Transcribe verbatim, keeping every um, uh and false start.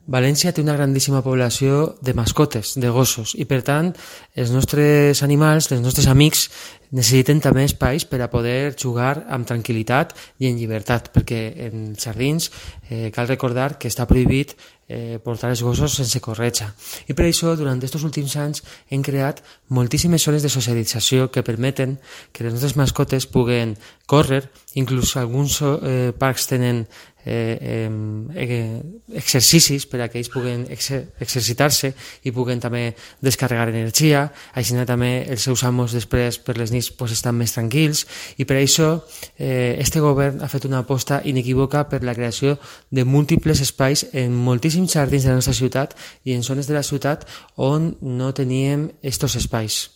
València té una grandíssima població de mascotes, de gossos, i per tant els nostres animals, els nostres amics, necessiten també espais per a poder jugar amb tranquil·litat i en llibertat, perquè en els jardins eh, cal recordar que està prohibit eh, portar els gossos sense corretja. I per això, durant aquests últims anys, hem creat moltíssimes zones de socialització que permeten que les nostres mascotes puguen córrer, inclús alguns eh, parcs tenen Eh, eh, exercicis per a que ells puguen exer exercitar-se i puguen també descarregar energia, així també els seus amos després per les nits pues, estan més tranquils, i per això eh, este govern ha fet una aposta inequívoca per la creació de múltiples espais en moltíssims jardins de la nostra ciutat i en zones de la ciutat on no teníem estos espais.